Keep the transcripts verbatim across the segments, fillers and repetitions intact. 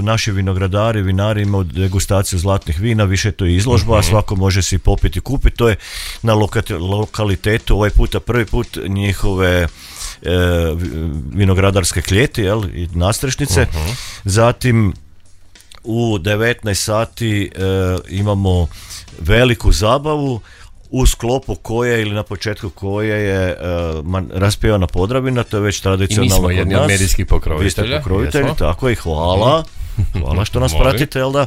naši vinogradari, vinari imaju degustaciju zlatnih vina, više to je izložba, uh-huh. svako može si popiti i kupiti, to je na loka- lokalitetu, ovaj puta prvi put njihove e, vinogradarske kljeti, jel, i nastrešnice. Uh-huh. Zatim u devetnaest sati e, imamo veliku zabavu u sklopu koje ili na početku koje je uh, man, raspjevana Podravina, to je već tradicionalno kod nas. I mi smo jedni od medijskih pokrovitelja. Vi ste pokrovitelji, jesmo. Tako i hvala. Hvala što nas pratite, jel da?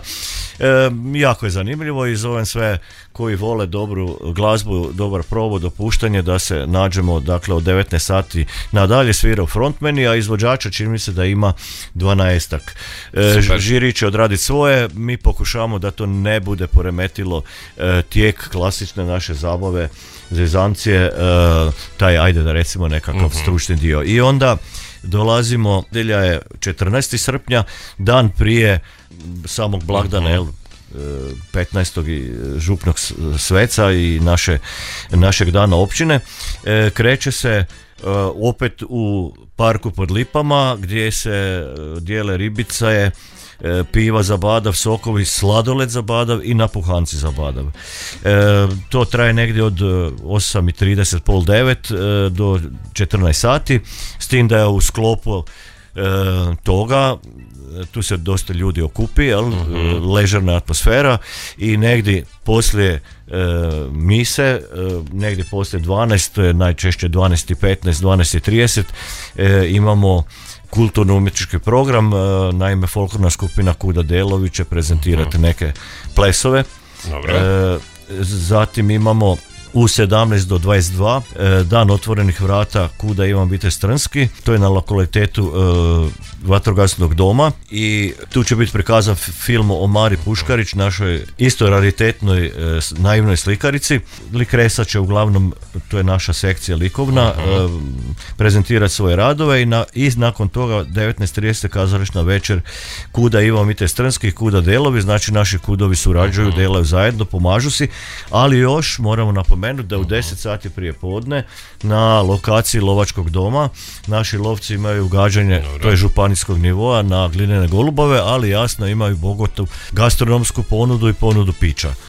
E, jako je zanimljivo i zovem sve koji vole dobru glazbu, dobar provod, dopuštanje da se nađemo, dakle, od devetnaest sati nadalje svirao frontmeni, a izvođača čini mi se da ima dvanaestak. E, žiri će odraditi svoje, mi pokušavamo da to ne bude poremetilo e, tijek klasične naše zabave, zezancije, e, taj, ajde da recimo nekakav uh-huh. stručni dio. I onda dolazimo, nedjelja je četrnaestog srpnja, dan prije samog blagdana, uh-huh. petnaestog župnog sveca i naše, našeg dana općine. E, kreće se e, opet u parku pod Lipama gdje se dijele ribice, e, piva za badav, sokovi, sladoled za badav i napuhanci za badav. E, to traje negdje od osam i trideset, pol devet e, do četrnaest sati, s tim da je u sklopu e, toga tu se dosta ljudi okupi, jel? Uh-huh. Ležerna atmosfera i negdje poslije e, mise, e, negdje poslije dvanaest, to je najčešće dvanaest i petnaest, dvanaest i trideset, e, imamo kulturno-umjetnički program, e, naime folklorna skupina Kuda Delović će prezentirati uh-huh. neke plesove. Dobro. E, zatim imamo u sedamnaest do dvadeset dva e, dan otvorenih vrata Kuda Ivan Vitez Trnski, to je na lokalitetu e, vatrogasnog doma i tu će biti prikazan film o Mari Puškarić, našoj isto raritetnoj e, naivnoj slikarici. Likresa će uglavnom, to je naša sekcija likovna, uh-huh. e, prezentirati svoje radove i, na, i nakon toga devetnaest trideset kazališna večer Kuda Ivan Vitez Trnski i Kuda Delovi, znači naši kudovi surađuju, uh-huh. delaju zajedno, pomažu si, ali još moramo napomenuti da u deset sati prije podne na lokaciji lovačkog doma naši lovci imaju gađanje, Dobre. to je županijskog nivoa, na glinene golubove, ali jasno imaju bogatu gastronomsku ponudu i ponudu pića.